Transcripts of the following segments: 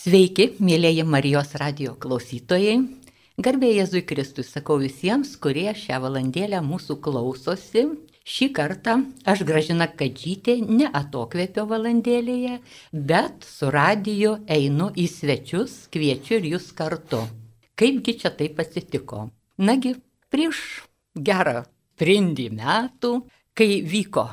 Sveiki, mėlyje Marijos radijo klausytojai. Garbė Jėzui Kristui sakau visiems, kurie šią valandėlę mūsų klausosi. Šį kartą aš Gražina Kadžytė ne atokvėpio valandėlėje, bet su radiju einu į svečius, kviečiu ir jūs kartu. Kaipgi čia taip atsitiko? Nagi, prieš gerą trindį metų, kai vyko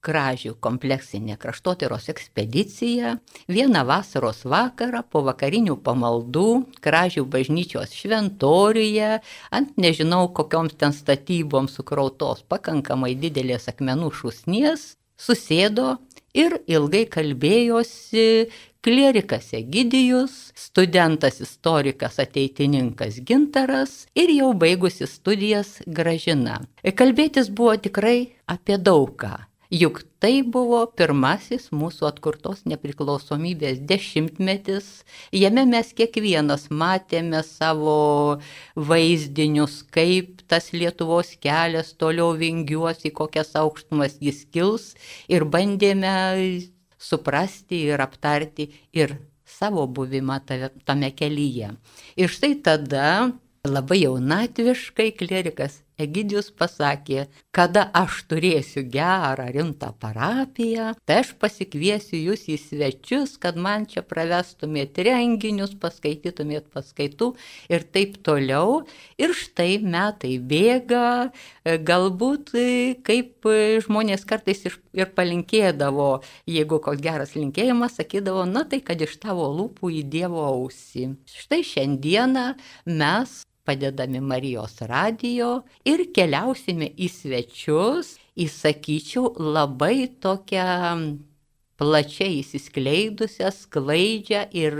Kražių kompleksinė kraštotyros ekspedicija, vieną vasaros vakarą po vakarinių pamaldų Kražių bažnyčios šventoriuje, ant nežinau kokioms ten statyboms sukrautos pakankamai didelės akmenų šūsnies, susėdo ir ilgai kalbėjosi klierikas Egidijus, studentas istorikas ateitininkas Gintaras ir jau baigusi studijas Gražina. Kalbėtis buvo tikrai apie daugą. Juk tai buvo pirmasis mūsų atkurtos nepriklausomybės 10-metis. Jame mes kiekvienas matėme savo vaizdinius, kaip tas Lietuvos kelias toliau vingiuos, į kokias aukštumas jis kils, ir bandėme suprasti ir aptarti ir savo buvimą tame kelyje. Ir štai tada labai jaunatviškai klierikas Egidijus pasakė, kada aš turėsiu gerą, rimtą parapiją, tai aš pasikviesiu jūs į svečius, kad man čia pravestumėt renginius, paskaitytumėt paskaitų ir taip toliau. Ir štai metai bėga, galbūt kaip žmonės kartais ir palinkėdavo, jeigu koks geras linkėjimas, sakydavo, na tai kad iš tavo lūpų į Dievo ausį. Štai šiandieną mes padedami Marijos radijo ir keliausime į svečius, įsakyčiau, labai tokią plačiai įsiskleidusią, sklaidžią ir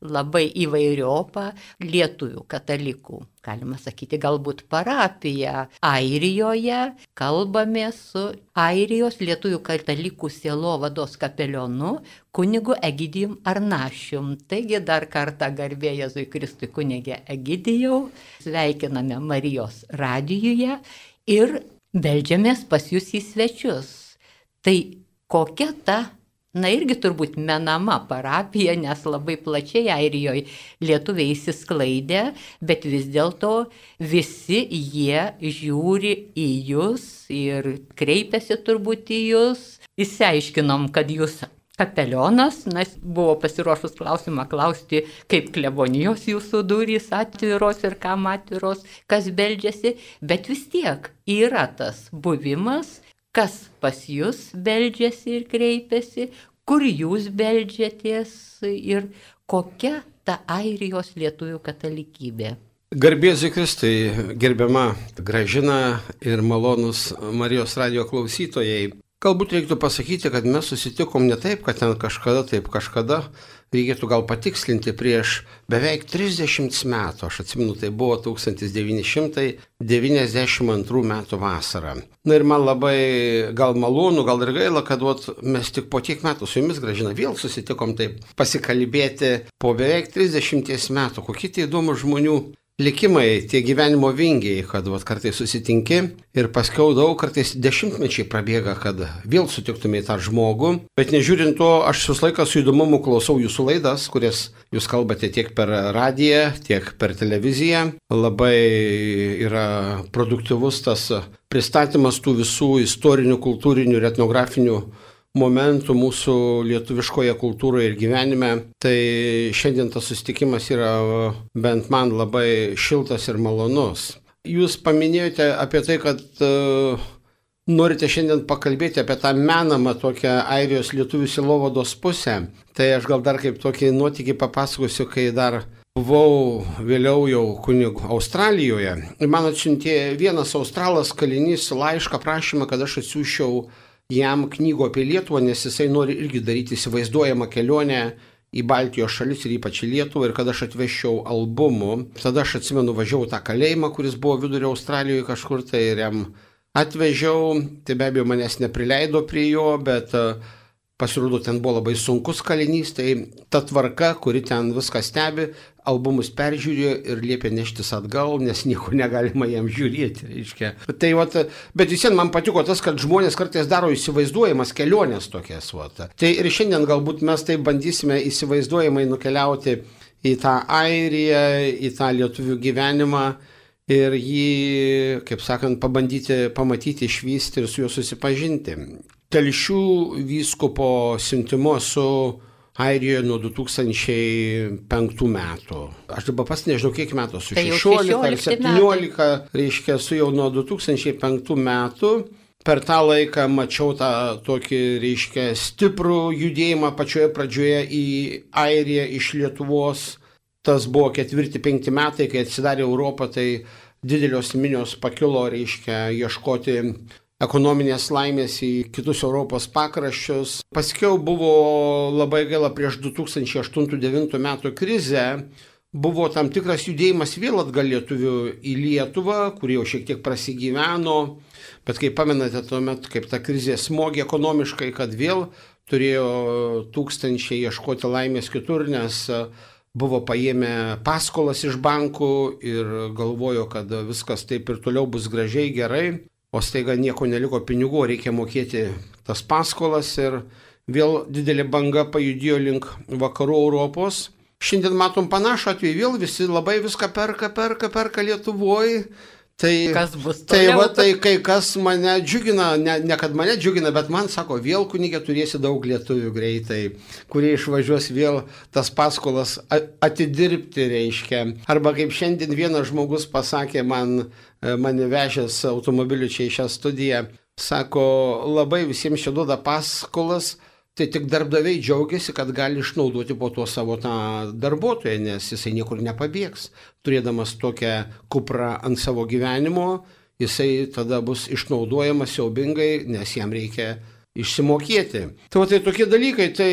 labai įvairiopą lietuvių katalikų, galima sakyti, galbūt parapiją Airijoje. Kalbame su Airijos lietuvių katalikų sielovados kapelionu kunigu Egidijum Arnašium. Taigi dar kartą garbė Jėzui Kristui kunige Egidijau, sveikiname Marijos radijuje ir beldžiamės pas jūs į svečius. Tai kokia ta, na irgi turbūt menama parapija, nes labai plačiai Airijoje lietuviai įsisklaidė, bet vis dėlto visi jie žiūri į jūs ir kreipiasi turbūt į jūs. Išsiaiškinom, kad jūs kapelionas, nes buvo pasiruošus klausimą klausti, kaip klebonijos jūsų durys atviros ir kam atviros, kas beldžiasi, bet vis tiek yra tas buvimas, kas pas jūs beldžiasi ir kreipiasi, kur jūs beldžiatės ir kokia ta Airijos lietuvių katalikybė. Garbė Jėzui Kristui, gerbiama Gražina ir malonus Marijos radijo klausytojai. Galbūt reiktų pasakyti, kad mes susitikom ne taip, kad ten kažkada, taip kažkada. Reikėtų gal patikslinti prieš beveik 30 metų. Aš atsimenu, tai buvo 1992 metų vasara. Na ir man labai gal malonu, gal ir gaila, kad mes tik po tiek metų su jumis, Gražina, vėl susitikom taip pasikalbėti po beveik 30 metų. Kokie tai įdomus žmonių likimai, tie gyvenimo vingiai, kad kartais susitinki ir paskiau daug, kartais dešimtmečiai prabėga, kad vėl sutiktumai tą žmogų. Bet nežiūrint to, aš visą laiką su įdomumu klausau jūsų laidas, kurias jūs kalbate tiek per radiją, tiek per televiziją. Labai yra produktyvus tas pristatymas tų visų istorinių, kultūrinių ir etnografinių momentų mūsų lietuviškoje kultūroje ir gyvenime. Tai šiandien tas susitikimas yra bent man labai šiltas ir malonus. Jūs paminėjote apie tai, kad norite šiandien pakalbėti apie tą menamą tokią Airijos lietuvių sielovados pusę. Tai aš gal dar kaip tokį nuotykį papasakosiu, kai dar buvau vėliau jau kunigu Australijoje. Ir man atsiuntė vienas australas kalinys laišką prašymą, kad aš atsiųsčiau jam knygų apie Lietuvą, nes jisai nori irgi daryti įsivaizduojamą kelionę į Baltijos šalis ir ypač į Lietuvą, ir kad aš atvežčiau albumų. Tada aš atsimenu, važiavau tą kalėjimą, kuris buvo vidurio Australijoje kažkur, tai ir jam atvežiau. Tai be abejo manęs neprileido prie jo, bet Pasirodo, ten buvo labai sunkus kalinys, tai ta tvarka, kuri ten viską stebi, albumus peržiūrėjo ir liepė neštis atgal, nes nieko negalima jam žiūrėti, reiškia. Tai, bet vis vien man patiko tas, kad žmonės kartais daro įsivaizduojamas keliones tokias. Tai ir šiandien galbūt mes taip bandysime įsivaizduojamai nukeliauti į tą Airiją, į tą lietuvių gyvenimą ir jį, kaip sakant, pabandyti pamatyti, išvysti ir su juo susipažinti. Telšių vyskupo siuntimo su Airijoje nuo 2005 metų. Aš dabar pas nežinau, kiek metų, su 16 ar 17, reiškia, su jau nuo 2005 metų. Per tą laiką mačiau tą tokį, reiškia, stiprų judėjimą pačioje pradžioje į Airiją iš Lietuvos. Tas buvo 4-5 metai, kai atsidarė Europą, tai didelios minios pakilo, reiškia, ieškoti ekonominės laimės į kitus Europos pakraščius. Paskiau buvo labai gaila prieš 2008-2009 metų krizę, buvo tam tikras judėjimas vėl atgal lietuvių į Lietuvą, kurie jau šiek tiek prasigyveno, bet kaip pamenate tuomet, kaip ta krizė smogė ekonomiškai, kad vėl turėjo tūkstančiai ieškoti laimės kitur, nes buvo paėmę paskolas iš bankų ir galvojo, kad viskas taip ir toliau bus gražiai, gerai. O staiga nieko neliko pinigų, reikia mokėti tas paskolas ir vėl didelė banga pajudėjo link vakarų Europos. Šiandien matom panašų atveju, vėl visi labai viską perka Lietuvoje. Tai, kas bus toliau? Tai kai kas mane džiugina, ne kad mane džiugina, bet man sako, vėl kunigė turėsi daug lietuvių greitai, kurie išvažiuos vėl tas paskolas atidirbti, reiškia. Arba kaip šiandien vienas žmogus pasakė mane vežęs automobiliu čia į šią studiją, sako, labai visiems čia duoda paskolas, tai tik darbdaviai džiaugiasi, kad gali išnaudoti po to savo tą darbuotoją, nes jisai niekur nepabėgs. Turėdamas tokią kuprą ant savo gyvenimo, jisai tada bus išnaudojamas siaubingai, nes jam reikia išsimokėti. Tai tokie dalykai, tai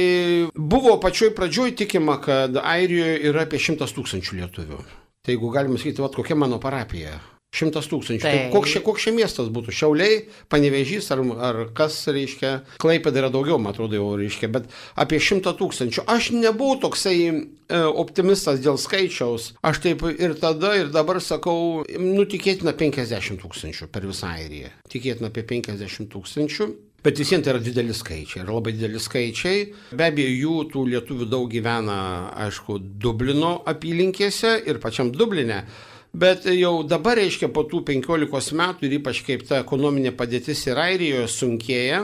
buvo pačioj pradžioj tikima, kad Airijoje yra apie 100 000 lietuvių. Tai jeigu galima sakyti, kokia mano parapija. 100 000. Tai koks čia miestas būtų? Šiauliai, Panevėžys ar kas, reiškia, Klaipėda yra daugiau, man atrodo, jau reiškia, bet apie 100 000. Aš nebuvau toksai optimistas dėl skaičiaus. Aš taip ir tada, ir dabar sakau, tikėtina 50 000 per visą Airiją. Tikėtina apie 50 000. Bet visiems tai yra dideli skaičiai, yra labai dideli skaičiai. Be abejo, jų tų lietuvių daug gyvena, aišku, Dublino apylinkėse ir pačiam Dubline. Bet jau dabar, reiškia, po tų 15 metų ir ypač kaip ta ekonominė padėtis ir Airijoje sunkėja,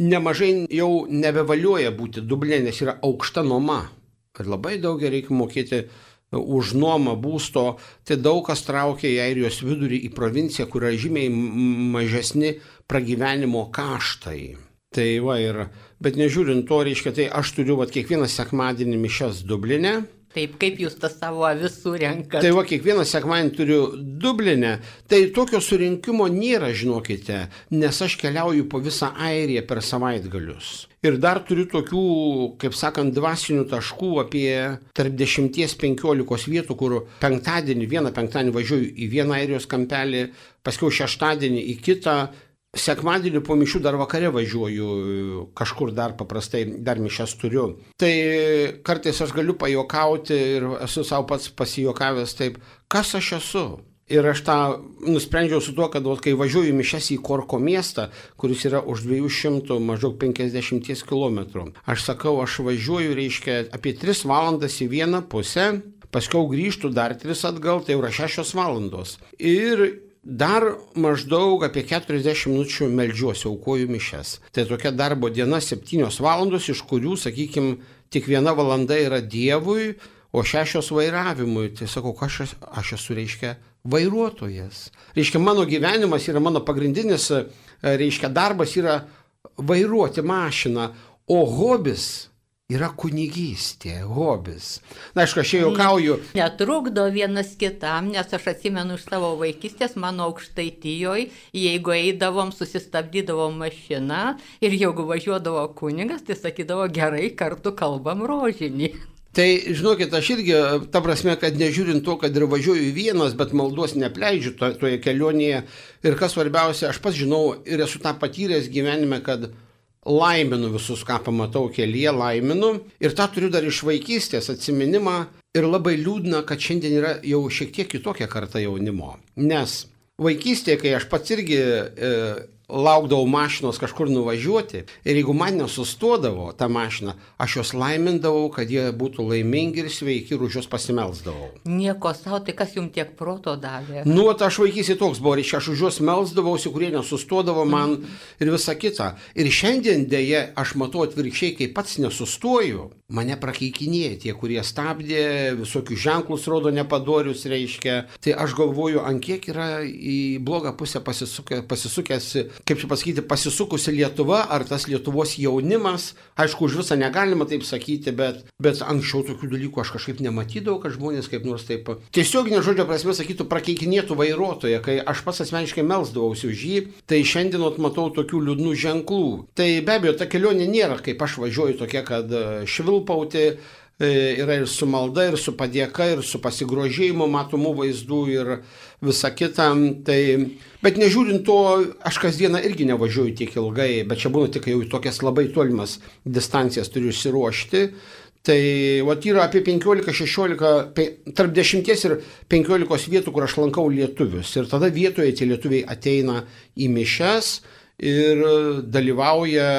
nemažai jau nebevaliuoja būti Dubline, nes yra aukšta nuoma. Ir labai daug reikia mokėti už nuomą būsto, tai daug kas traukia į Airijos vidurį, į provinciją, kur yra žymiai mažesni pragyvenimo kaštai. Tai bet nežiūrint to, reiškia, tai aš turiu kiekvieną sekmadienį mišias Dubline. Taip, kaip jūs tą savo avis surenkat? Tai kiekvieną sekmadienį turiu Dubline, tai tokio surinkimo nėra, žinokite, nes aš keliauju po visą Airiją per savaitgalius. Ir dar turiu tokių, kaip sakant, dvasinių taškų apie tarp 10-15 vietų, kur vieną penktadienį važiuoju į vieną Airijos kampelį, paskiau šeštadienį į kitą. Sekmadienį po mišių dar vakare važiuoju, kažkur dar paprastai, dar mišias turiu. Tai kartais aš galiu pajuokauti ir esu savo pats pasijokavęs taip, kas aš esu. Ir aš tą nusprendžiau su tuo, kad kai važiuoju mišias į Korko miestą, kuris yra už 200, maždaug 50 km, aš sakau, aš važiuoju, reiškia, apie 3 valandas į vieną pusę, paskiau grįžtu dar 3 atgal, tai jau yra 6 valandos. Ir dar maždaug apie 40 minučių meldžiuosi, aukoju mišias. Tai tokia darbo diena 7 valandos, iš kurių, sakykime, tik 1 valanda yra Dievui, o 6 vairavimui. Tai sakau, aš esu, reiškia, vairuotojas. Reiškia, mano gyvenimas yra mano pagrindinis, reiškia, darbas yra vairuoti mašiną, o hobis yra kunigystė, hobis. Na, aišku, aš juokauju. Netrukdo vienas kitam, nes aš atsimenu iš savo vaikystės, mano Aukštaitijoje, jeigu eidavom, susistabdydavom mašiną ir jeigu važiuodavo kunigas, tai sakydavo, gerai, kartu kalbam rožinį. Tai, žinokit, aš irgi, ta prasme, kad nežiūrint to, kad ir važiuoju vienas, bet maldos nepleidžiu toje kelionėje. Ir kas svarbiausia, aš pats žinau ir esu tą patyręs gyvenime, kad laiminu visus, ką pamatau kelyje, laiminu. Ir tą turiu dar iš vaikystės atsiminimą. Ir labai liūdna, kad šiandien yra jau šiek tiek kitokia karta jaunimo. Nes vaikystėje, kai aš pats irgi laukdavau mašinos kažkur nuvažiuoti ir jeigu man nesustodavo tą mašiną, aš juos laimindavau, kad jie būtų laimingi ir sveiki ir už juos pasimelsdavau. Nieko savo, tai kas jums tiek proto davė? Nu, aš vaikystėje toks buvo, reiškia, aš už juos melsdavausi, kurie nesustodavo man ir visa kita. Ir šiandien dėja aš matau atvirkščiai, kai pats nesustoju, mane prakeikinėja tie, kurie stabdė, visokius ženklus rodo nepadorius, reiškia. Tai aš galvoju, ant kiek yra į blogą pusę pasisukęs, kaip čia pasakyti, pasisukusi Lietuva, ar tas Lietuvos jaunimas. Aišku, už visą negalima taip sakyti, bet anksčiau tokių dalykų aš kažkaip nematydavau, kad žmonės kaip nors taip tiesioginė žodžio prasme sakytų prakeikinėtų vairuotoją, kai aš pats asmeniškai melsdavausi už jį, tai šiandien matau tokių liūdnų ženklų. Tai be abejo, ta kelionė nėra, kaip aš važiuoju, tokia, kad švilpauti, yra ir su malda, ir su padėka, ir su pasigrožėjimu matomų vaizdų ir visa kita. Tai, bet nežiūrint to, aš kasdieną irgi nevažiuoju tiek ilgai, bet čia būna tik jau į tokias labai tolimas distancijas turiu išsiruošti. Tai yra apie 15-16, tarp 10 ir 15 vietų, kur aš lankau lietuvius. Ir tada vietoje tie lietuviai ateina į mišias ir dalyvauja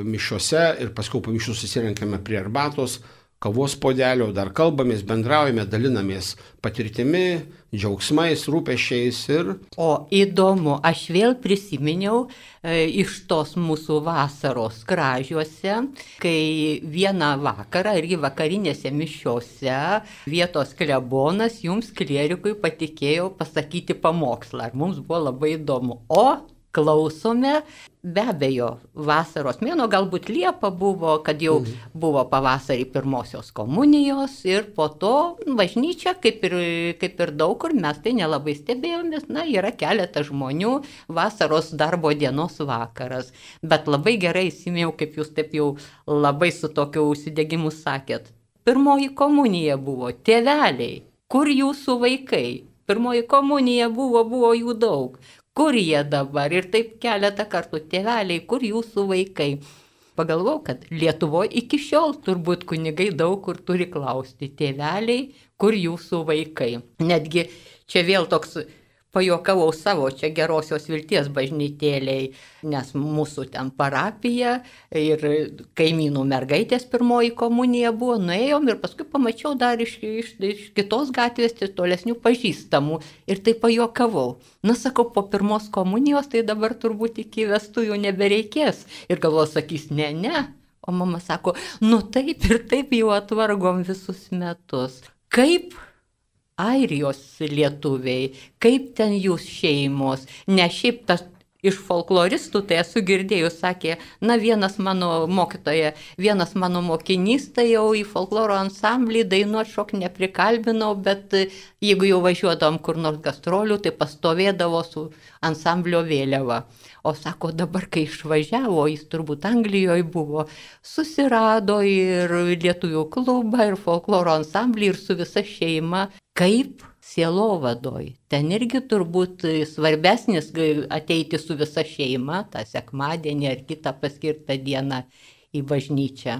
mišiuose ir paskui po mišių susirenkame prie arbatos, kavos puodelio, dar kalbamės, bendraujame, dalinamės patirtimi, džiaugsmais, rūpesčiais ir... O įdomu, aš vėl prisiminiau iš tos mūsų vasaros Kražiuose, kai vieną vakarą irgi vakarinėse mišiose vietos klebonas jums klierikui patikėjo pasakyti pamokslą. Ir mums buvo labai įdomu. O klausome, be abejo, vasaros mėnuo, galbūt Liepa buvo, kad jau buvo pavasarį pirmosios komunijos ir po to bažnyčia, kaip ir daug kur, mes tai nelabai stebėjomės, yra keletas žmonių, vasaros darbo dienos vakaras. Bet labai gerai įsimėjau, kaip jūs taip jau labai su tokiu užsidegimu sakėt. Pirmoji komunija buvo, tėveliai, kur jūsų vaikai? Pirmoji komunija buvo jų daug. Kur jie dabar? Ir taip keletą kartų, tėveliai, kur jūsų vaikai? Pagalvojau, kad Lietuvoje iki šiol turbūt kunigai daug kur turi klausti, tėveliai, kur jūsų vaikai? Netgi čia vėl toks pajuokavau savo, čia Gerosios Vilties bažnytėliai, nes mūsų ten parapija ir kaimynų mergaitės pirmoji komunija buvo, nuėjom ir paskui pamačiau dar iš kitos gatvės tolesnių pažįstamų ir tai pajuokavau. Sakau, po pirmos komunijos tai dabar turbūt iki vestuvių nebereikės. Ir galvoju, sakys, ne. O mama sako, taip ir taip jau atvargom visus metus. Kaip Airijos lietuviai, kaip ten jūs šeimos, ne šiaip tas iš folkloristų, tai esu girdėjus, sakė, vienas mano mokytoja, vienas mano mokinys, tai jau į folkloro ansamblį dainuot šok neprikalbinau, bet jeigu jau važiuodavom kur nors gastrolių, tai pastovėdavo su ansamblio vėliava. O sako, dabar kai išvažiavo, jis turbūt Anglijoje buvo, susirado ir lietuvių klubą, ir folkloro ansamblį, ir su visa šeima. Kaip sielovadoj. Ten irgi turbūt svarbesnis ateiti su visa šeima, tą sekmadienį ar kitą paskirtą dieną į bažnyčią.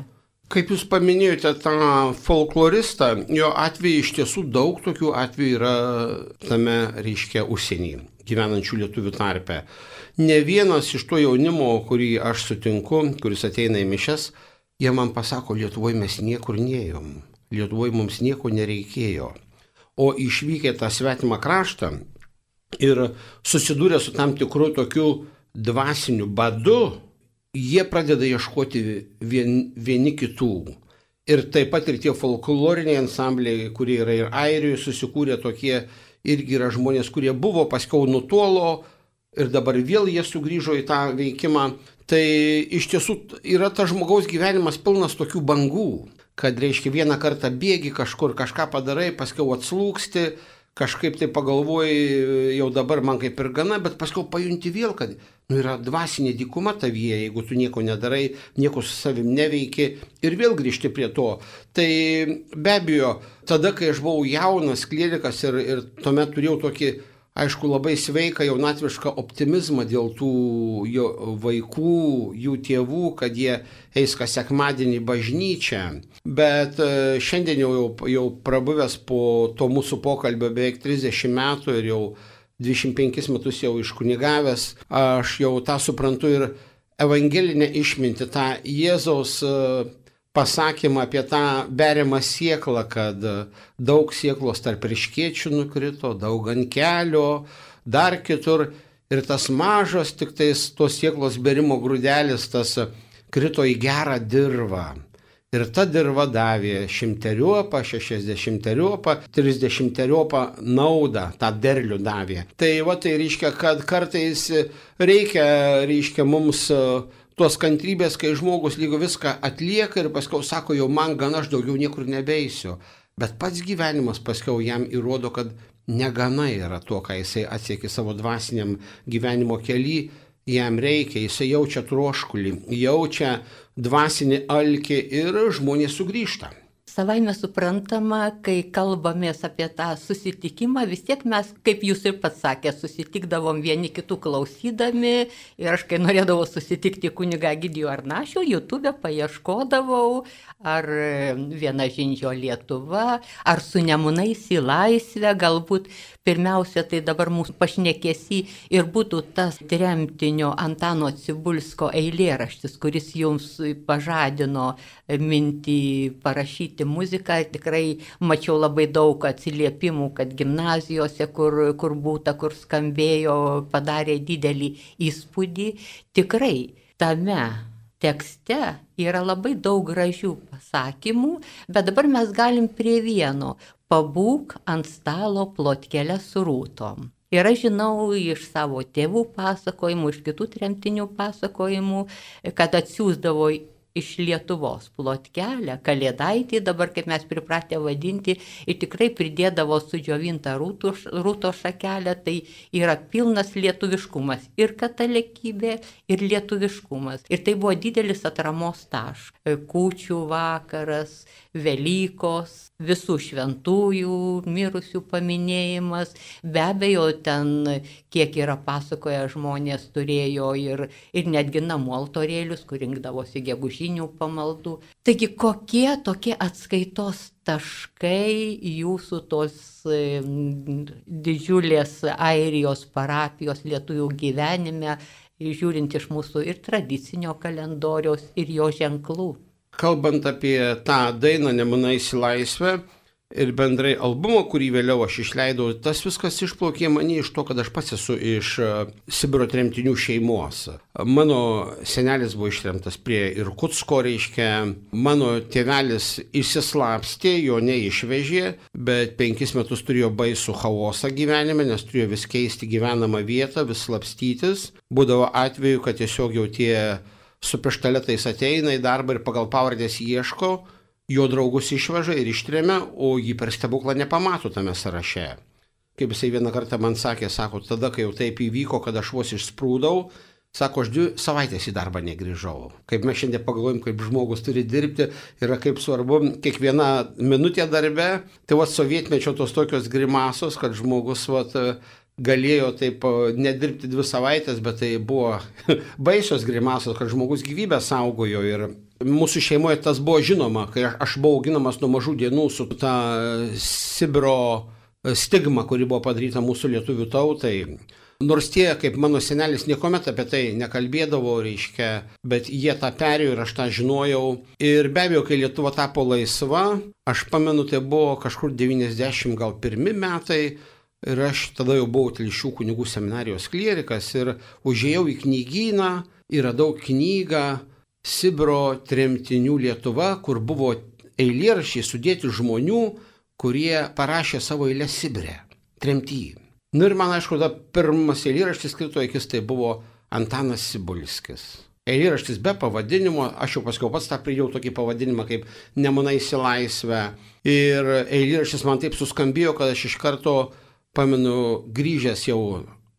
Kaip jūs paminėjote tą folkloristą, jo atveju iš tiesų daug tokių atvejų yra tame, reiškia, užsienyje gyvenančių lietuvių tarpe. Ne vienas iš to jaunimo, kurį aš sutinku, kuris ateina į mišias, jie man pasako, Lietuvoje mes niekur neėjom, Lietuvoje mums nieko nereikėjo. O išvykę tą svetimą kraštą ir susidūrę su tam tikru tokiu dvasiniu badu, jie pradeda ieškoti vieni kitų. Ir taip pat ir tie folkloriniai ansambliai, kurie yra ir Airijoje susikūrė tokie, irgi yra žmonės, kurie buvo, paskiau nutolo ir dabar vėl jie sugrįžo į tą veikimą. Tai iš tiesų yra tas žmogaus gyvenimas pilnas tokių bangų, kad reiškia vieną kartą bėgi kažkur, kažką padarai, paskiau atslūksti, kažkaip tai pagalvoji, jau dabar man kaip ir gana, bet paskiau pajunti vėl, kad yra dvasinė dykuma tavyje, jeigu tu nieko nedarai, nieko su savim neveiki ir vėl grįžti prie to. Tai be abejo, tada, kai aš buvau jaunas klierikas ir tuomet turėjau tokį aišku, labai sveiką jaunatvišką optimizmą dėl tų vaikų, jų tėvų, kad jie eis kas sekmadienį į bažnyčią. Bet šiandien jau prabuvęs po to mūsų pokalbio beveik 30 metų ir jau 25 metus jau iškunigavęs, aš jau tą suprantu ir evangelinę išmintį, tą Jėzaus pasakymą apie tą beriamą sėklą, kad daug sėklos tarp erškėčių nukrito, daug ant kelio, dar kitur. Ir tas mažas, tik tais tos sėklos berimo grūdelis, tas krito į gerą dirvą. Ir ta dirva davė 100-riopą, 60-riopą, 30-riopą naudą, tą derlių davė. Tai tai reiškia, kad kartais reikia mums tos kantrybės, kai žmogus lygo viską atlieka ir paskiau sako, jau man gana, aš daugiau niekur nebeisiu. Bet pats gyvenimas paskiau jam įrodo, kad negana yra to, ką jisai atsiekė savo dvasiniam gyvenimo kely, jam reikia, jisai jaučia troškulį, jaučia dvasinį alkį ir žmonės sugrįžta. Savaime suprantama, kai kalbamės apie tą susitikimą, vis tiek mes, kaip jūs ir pats sakė, susitikdavom vieni kitų klausydami ir aš, kai norėdavau susitikti kunigą Egidijų Arnašių, YouTube paieškodavau, ar Viena žindžio Lietuva, ar Su Nemunais į laisvę, galbūt pirmiausia, tai dabar mūsų pašnekėsi ir būtų tas tremtinio Antano Cibulsko eilėraštis, kuris jums pažadino mintį parašyti muziką. Tikrai mačiau labai daug atsiliepimų, kad gimnazijose, kur būta, kur skambėjo, padarė didelį įspūdį. Tikrai tame tekste yra labai daug gražių pasakymų, bet dabar mes galim prie vieno: pabūk ant stalo plotkelę su rūtom. Ir aš žinau iš savo tėvų pasakojimų, iš kitų tremtinių pasakojimų, kad atsiųsdavo iš Lietuvos plotkelę, kalėdaitį, dabar kaip mes pripratę vadinti, ir tikrai pridėdavo sudžiovintą rūto šakelę, tai yra pilnas lietuviškumas, ir katalikybė, ir lietuviškumas. Ir tai buvo didelis atramos taškas. Kūčių vakaras, Velykos, visų šventųjų, mirusių paminėjimas. Be abejo, ten, kiek yra pasakoję, žmonės turėjo ir netgi namų altorėlius, kur rinkdavosi gegužinių pamaldų. Taigi, kokie tokie atskaitos taškai jūsų tos didžiulės Airijos parapijos lietuvių gyvenime, žiūrint iš mūsų ir tradicinio kalendoriaus, ir jo ženklų? Kalbant apie tą dainą Nemunais į laisvę ir bendrai albumą, kurį vėliau aš išleidau, tas viskas išplaukė mane iš to, kad aš pats esu iš Sibiro tremtinių šeimos. Mano senelis buvo ištremtas prie Irkutsko, reiškia, mano tėvelis išsislapstė, jo neišvežė, bet 5 metus turėjo baisų chaosą gyvenime, nes turėjo vis keisti gyvenamą vietą, vis slapstytis. Būdavo atveju, kad tiesiog jau tie su pištaletais ateina į darbą ir pagal pavardės ieško, jo draugus išveža ir ištremia, o jį per stebuklą nepamato tame sąraše. Kaip jisai vieną kartą man sakė, sako, tada, kai jau taip įvyko, kad aš vos išsprūdau, sako, aš 2 savaitės į darbą negrįžau. Kaip mes šiandien pagalvojam, kaip žmogus turi dirbti, yra kaip svarbu kiekviena minutė darbe, tai sovietmečio tos tokios grimasos, kad žmogus galėjo taip nedirbti 2 savaitės, bet tai buvo baisios grimasos, kad žmogus gyvybę saugojo. Ir mūsų šeimoje tas buvo žinoma, kai aš buvau auginamas nuo mažų dienų su ta Sibiro stigma, kuri buvo padaryta mūsų lietuvių tautai. Nors tie, kaip mano senelis, niekuomet apie tai nekalbėdavo, reiškia, bet jie tą perėjo ir aš tą žinojau. Ir be abejo, kai Lietuva tapo laisva, aš pamenu, tai buvo kažkur 91 metai, ir aš tada jau buvau Telšių kunigų seminarijos klierikas ir užėjau į knygyną ir radau knygą Sibiro tremtinių Lietuva, kur buvo eilėraščiai sudėti žmonių, kurie parašė savo eilės Sibire, tremty. Ir man, aišku, pirmas eilėraštis krito akis, tai buvo Antanas Cibulskis. Eilėraštis be pavadinimo, aš jau paskiau pats tą pridėjau tokį pavadinimą kaip Nemunais į laisvę. Ir eilėraštis man taip suskambėjo, kad aš iš karto pamenu, grįžęs jau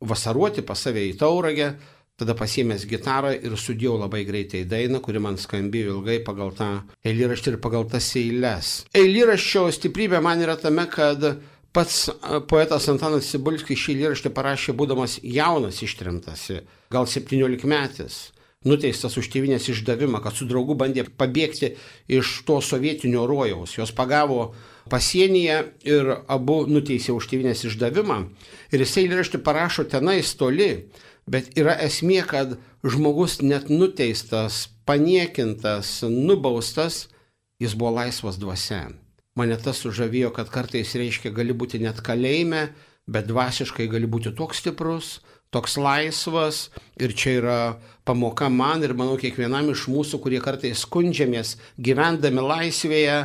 vasaruoti pas save į Tauragę, tada pasiėmęs gitarą ir sudėjau labai greitai dainą, kuri man skambėjo ilgai pagal tą eilėraštį ir pagal tas eiles. Eilėraščio stiprybė man yra tame, kad Pats poetas Antanas Cibulskis šį eilėraštį parašė būdamas jaunas ištremtas, gal 17-metis, nuteistas už tėvynės išdavimą, kad su draugu bandė pabėgti iš to sovietinio rojaus. Jos pagavo pasienyje ir abu nuteisė už tėvynės išdavimą. Ir jisai eilėraštį parašo tenais toli, bet yra esmė, kad žmogus net nuteistas, paniekintas, nubaustas, jis buvo laisvas dvasia. Mane tas sužavėjo, kad kartais reiškia gali būti net kalėjime, bet dvasiškai gali būti toks stiprus, toks laisvas. Ir čia yra pamoka man ir manau kiekvienam iš mūsų, kurie kartais skundžiamės gyvendami laisvėje,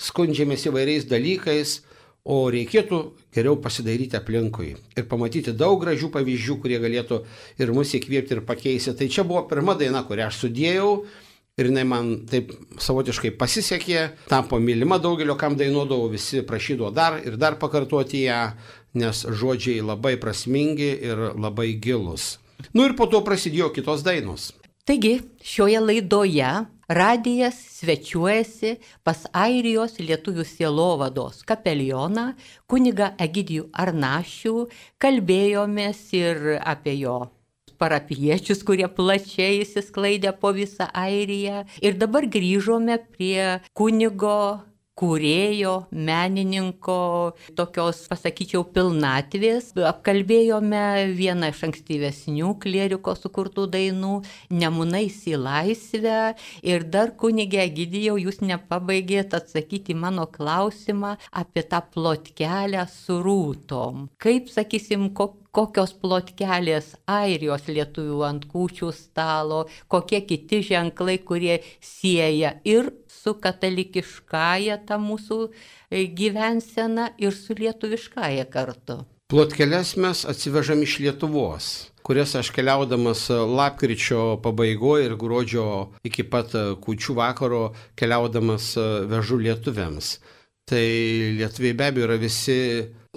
skundžiamės įvairiais dalykais, o reikėtų geriau pasidairyti aplinkui ir pamatyti daug gražių pavyzdžių, kurie galėtų ir mus įkvėpti ir pakeisti. Tai čia buvo pirma daina, kurią aš sudėjau. Ir jinai man taip savotiškai pasisekė, tapo mylima daugelio, kam dainuodavau, visi prašydavo dar ir dar pakartoti ją, nes žodžiai labai prasmingi ir labai gilus. Ir po to prasidėjo kitos dainos. Taigi, šioje laidoje radijas svečiuojasi pas Airijos lietuvių sielovados kapelioną, kunigą Egidijų Arnašių, kalbėjomės ir apie jo parapiečius, kurie plačiai įsisklaidė po visą Airiją. Ir dabar grįžome prie kunigo, kūrėjo, menininko, tokios, pasakyčiau, pilnatvės. Apkalbėjome vieną iš ankstyvesnių klieriko sukurtų dainų, Nemunais į laisvę. Ir dar, kunige Egidijau, jūs nepabaigėt atsakyti mano klausimą apie tą plotkelę su rūtom. Kaip, sakysim, kokios plotkelės Airijos lietuvių ant kūčių stalo, kokie kiti ženklai, kurie sieja ir su katalikiškąja ta mūsų gyvensena ir su lietuviškąja kartu. Plotkeles mes atsivežam iš Lietuvos, kurias aš keliaudamas lapkričio pabaigoje ir gruodžio iki pat kūčių vakaro keliaudamas vežu lietuviams. Tai lietuviai be abejo yra visi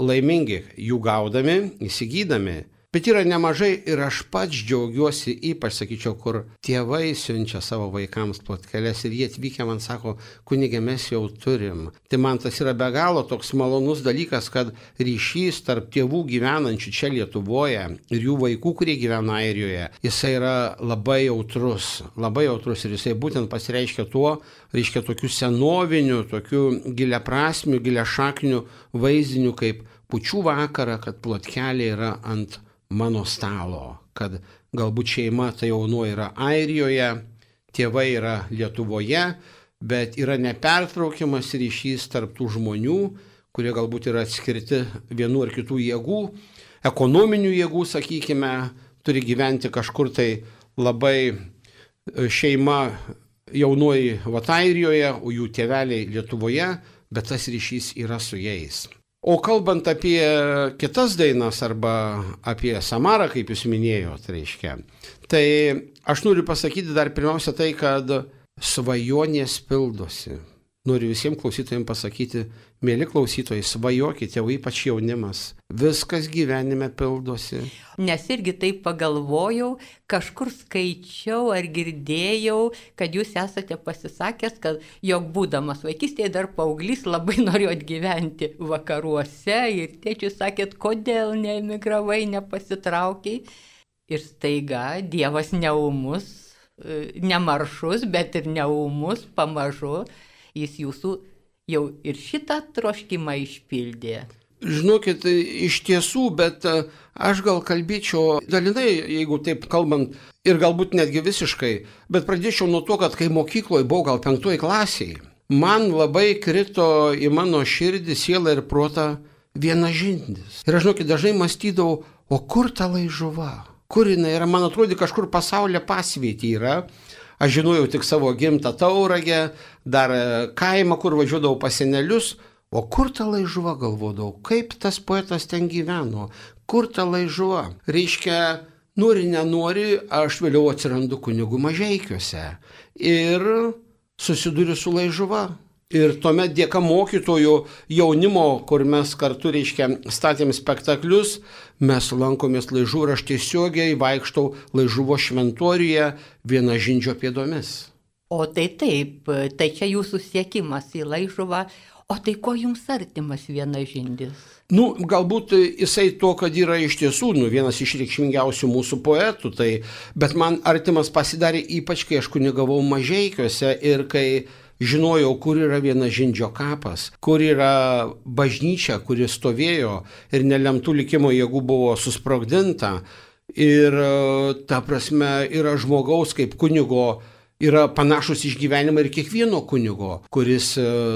laimingi, jų gaudami, įsigydami. Bet yra nemažai ir aš pats džiaugiuosi, ypač sakyčiau, kur tėvai siunčia savo vaikams plotkeles ir jie atvykę man sako, kunige, mes jau turim. Tai man tas yra be galo toks malonus dalykas, kad ryšys tarp tėvų gyvenančių čia Lietuvoje ir jų vaikų, kurie gyvena Airijoje, jisai yra labai jautrus ir jisai būtent pasireiškia tuo, reiškia tokių senovinių, tokių giliaprasmių, giliašaknių vaizdinių kaip kūčių vakarą, kad plotkelė yra ant mano stalo, kad galbūt šeima tai jaunoji yra Airijoje, tėvai yra Lietuvoje, bet yra nepertraukiamas ryšys tarp tų žmonių, kurie galbūt yra atskirti vienų ar kitų jėgų, ekonominių jėgų, sakykime, turi gyventi kažkur tai labai šeima jaunoji Airijoje, o jų tėveliai Lietuvoje, bet tas ryšys yra su jais. O kalbant apie kitas dainas arba apie Samarą, kaip jūs minėjot, reiškia, tai aš noriu pasakyti dar pirmiausia tai, kad svajonės pildosi. Noriu visiems klausytojams pasakyti, mėly klausytojai, svajokite, o ypač jaunimas, viskas gyvenime pildosi. Nes irgi taip pagalvojau, kažkur skaičiau ar girdėjau, kad jūs esate pasisakęs, kad jog būdamas vaikystėje dar paauglys labai norėjot gyventi vakaruose ir tėčiui sakėt, kodėl neemigravai, nepasitraukiai. Ir staiga Dievas neumus, nemaršus, bet ir neumus, pamažu. Jis jūsų jau ir šitą troškimą išpildė. Žinokit, iš tiesų, bet aš gal kalbėčiau dalinai, jeigu taip kalbant, ir galbūt netgi visiškai, bet pradėčiau nuo to, kad kai mokykloje buvau gal 5 klasėje, man labai krito į mano širdį, sielą ir protą vienas žindis. Ir aš, žinokit, dažnai mąstydavau, o kur ta laižuva? Kur jinai yra? Man atrodė, kažkur pasaulyje pasvietė yra. Aš žinojau tik savo gimtą Tauragę, dar kaimą, kur važiuodavau pas senelius, o kur ta laižuva, galvodavau, kaip tas poetas ten gyveno, kur ta laižuva. Reiškia, nori, nenori, aš vėliau atsirandu kunigų Mažeikiuose ir susiduriu su laižuva. Ir tuomet dėka mokytojų jaunimo, kur mes kartu, reiškia, statėm spektaklius, mes lankomės Laižuvų ir aš tiesiogiai vaikštau Laižuvo šventoriuje Vienažindžio pėdomis. O tai taip, tai čia jūsų siekimas į Laižuvą. O tai ko jums artimas Vienažindis? Galbūt jisai to, kad yra iš tiesų vienas iš reikšmingiausių mūsų poetų, bet man artimas pasidarė ypač, kai aš kunigavau Mažeikiuose ir kai žinojau, kur yra Vienažindžio kapas, kur yra bažnyčia, kuri stovėjo ir nelemtų likimo jėgų buvo susprogdinta. Ir ta prasme yra žmogaus kaip kunigo, yra panašus išgyvenimai ir kiekvieno kunigo, kuris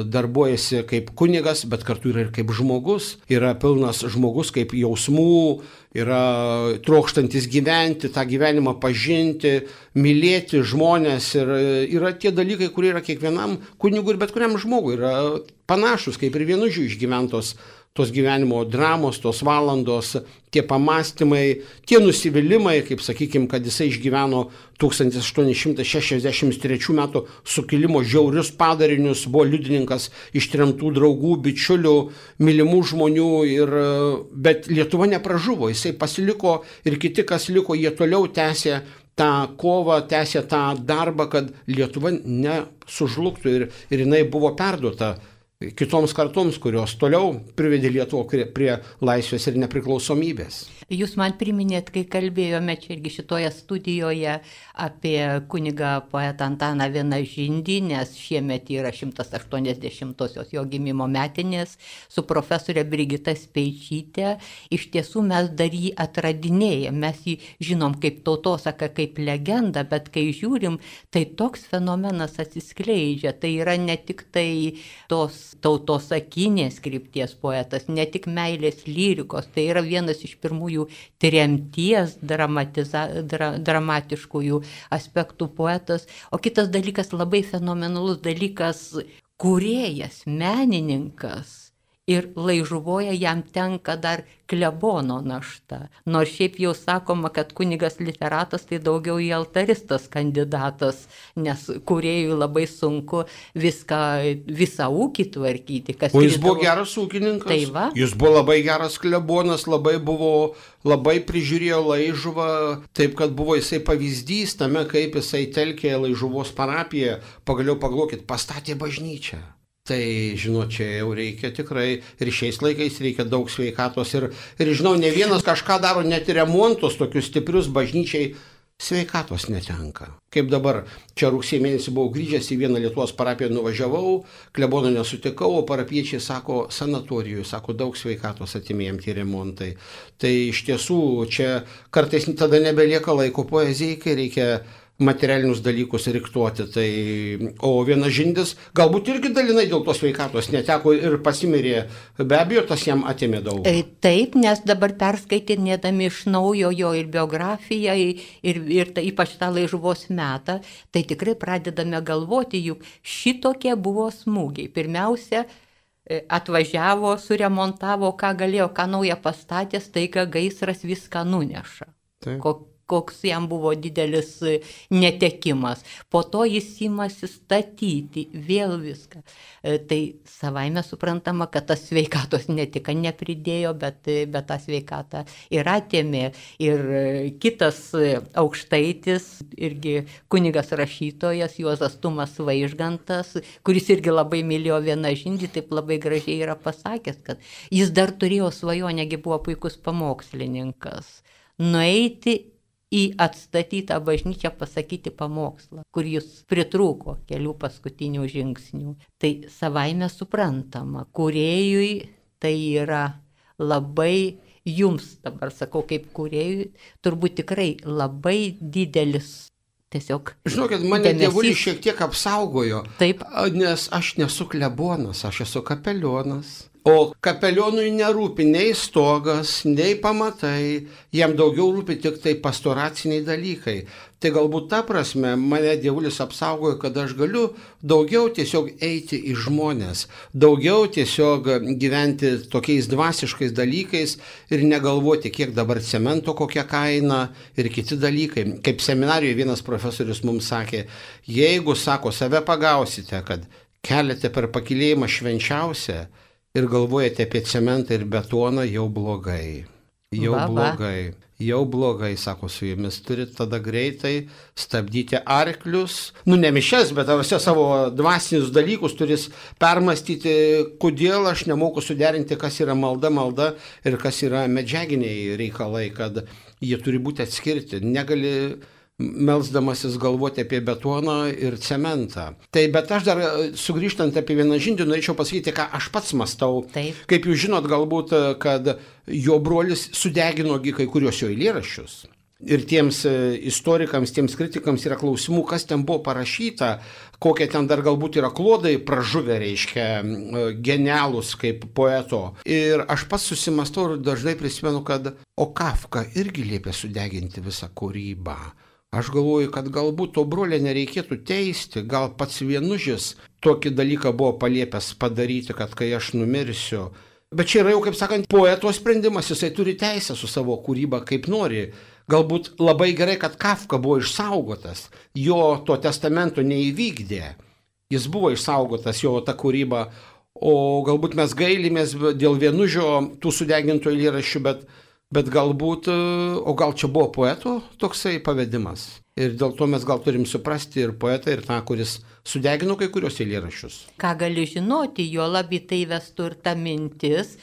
darbuojasi kaip kunigas, bet kartu yra ir kaip žmogus. Yra pilnas žmogus kaip jausmų, yra trokštantis gyventi, tą gyvenimą pažinti, mylėti žmonės. Ir yra tie dalykai, kurie yra kiekvienam kunigui ir bet kuriam žmogui. Yra panašus kaip ir Vienužių išgyventos tos gyvenimo dramos, tos valandos, tie pamastymai, tie nusivylimai, kaip sakykime, kad jisai išgyveno 1863 metų sukilimo žiaurius padarinius, buvo liudininkas ištremtų draugų, bičiulių, mylimų žmonių, bet Lietuva nepražuvo, jisai pasiliko ir kiti, kas liko, jie toliau tęsė tą kovą, tęsė tą darbą, kad Lietuva nesužlugtų ir jinai buvo perduota kitoms kartoms, kurios toliau privedė Lietuvą prie laisvės ir nepriklausomybės. Jūs man priminėt, kai kalbėjome čia irgi šitoje studijoje apie kunigą poetą Antaną Vienažindį, nes šiemet yra 180-osios jo gimimo metinės su profesorė Brigita Speičytė. Iš tiesų mes dar jį atradinėjame, mes jį žinom kaip tautosaką, kaip legendą, bet kai žiūrim, tai toks fenomenas atsiskleidžia. Tai yra ne tik tai tos tautosakinės krypties poetas, ne tik meilės lyrikos, tai yra vienas iš pirmųjų tremties dramatiškųjų aspektų poetas. O kitas dalykas, labai fenomenalus dalykas, kūrėjas, menininkas. Ir Laižuvoje jam tenka dar klebono našta. Nors šiaip jau sakoma, kad kunigas literatas tai daugiau į altaristas kandidatas, nes kūrėjui labai sunku visą ūkį tvarkyti. O jis buvo geras ūkininkas, tai va. Jis buvo labai geras klebonas, labai prižiūrėjo Laižuvą, taip kad buvo jisai pavyzdys tame, kaip jisai telkė Laižuvos parapiją, pagaliau pagalvokit, pastatė bažnyčią. Tai, žinot, čia jau reikia tikrai, ir šiais laikais reikia daug sveikatos. Ir žinau, ne vienas kažką daro, net ir remontus tokius stiprius bažnyčiai sveikatos netenka. Kaip dabar, čia rugsėjo mėnesį buvau grįžęs į vieną Lietuvos parapiją, nuvažiavau, klebono nesutikau, o parapiečiai sako, sanatorijoje, sako, daug sveikatos atimėjom tie remontai. Tai iš tiesų, čia kartais tada nebelieka laiko poezijai, kai reikia materialinius dalykus riktuoti. O Vienažindis galbūt irgi dalinai dėl tos sveikatos neteko ir pasimirė. Be abejo, tas jam atėmė daug. Taip, nes dabar perskaitinėdami iš naujo jo ir biografiją, ir ypač tą Laižuvos metą, tai tikrai pradedame galvoti, juk šitokie buvo smūgiai. Pirmiausia, atvažiavo, suremontavo, ką galėjo, ką naują pastatė, staiga gaisras viską nuneša. Taip. Koks jam buvo didelis netekimas. Po to jis imasi statyti vėl viską. Tai savaime suprantama, kad tas sveikatos ne tik nepridėjo, bet tą sveikatą ir atėmė. Ir kitas aukštaitis, irgi kunigas rašytojas, Juozas Tumas Vaižgantas, kuris irgi labai mylėjo Vienažindį, taip labai gražiai yra pasakęs, kad jis dar turėjo svajonę, buvo puikus pamokslininkas, nueiti į atstatytą bažnyčią pasakyti pamokslą, kur jis pritrūko kelių paskutinių žingsnių. Tai savaime suprantama, kūrėjui tai yra labai, jums dabar sakau kaip kūrėjui, turbūt tikrai labai didelis tiesiog dėmesys. Žinokit, mane dievulis šiek tiek apsaugojo, taip. Nes aš nesu klebonas, aš esu kapelionas. O kapelionui nerūpi nei stogas, nei pamatai, jam daugiau rūpi tik tai pastoraciniai dalykai. Tai galbūt ta prasme mane dievulis apsaugojo, kad aš galiu daugiau tiesiog eiti į žmonės, daugiau tiesiog gyventi tokiais dvasiškais dalykais ir negalvoti, kiek dabar cemento, kokia kaina ir kiti dalykai. Kaip seminarijoje vienas profesorius mums sakė, jeigu, sako, save pagausite, kad keliate per pakylėjimą švenčiausią, ir galvojate apie cementą ir betoną, jau blogai. Jau blogai, sako, su jumis turit tada greitai stabdyti arklius, ne mišias, bet savo dvasinius dalykus turis permastyti, kodėl aš nemoku suderinti, kas yra malda ir kas yra medžiaginiai reikalai, kad jie turi būti atskirti. Negali melsdamasis galvoti apie betoną ir cementą. Bet aš dar sugrįžtant apie Vienožindį, norėčiau pasakyti, ką aš pats mastau. Taip. Kaip jūs žinot, galbūt, kad jo brolis sudegino kai kurios jo eilėraščius. Ir tiems istorikams, tiems kritikams yra klausimų, kas ten buvo parašyta, kokie ten dar galbūt yra klodai pražuvę, reiškia, genialūs kaip poeto. Ir aš pats susimastau ir dažnai prisimenu, kad Kafka irgi liepė sudeginti visą kūrybą. Aš galvoju, kad galbūt to brolio nereikėtų teisti, gal pats Vienužis tokį dalyką buvo paliepęs padaryti, kad kai aš numirsiu. Bet čia yra jau, kaip sakant, poeto sprendimas, jisai turi teisę su savo kūryba kaip nori. Galbūt labai gerai, kad Kafka buvo išsaugotas, jo to testamento neįvykdė. Jis buvo išsaugotas, jo ta kūryba, o galbūt mes gailimės dėl Vienužio tų sudegintų eilėraščių, bet galbūt, o gal čia buvo poeto toksai pavedimas. Ir dėl to mes gal turim suprasti ir poetą, ir tą, kuris sudegino kai kurios eilėraščius. Ką gali žinoti, jo labi tai vestų ir ta mintis,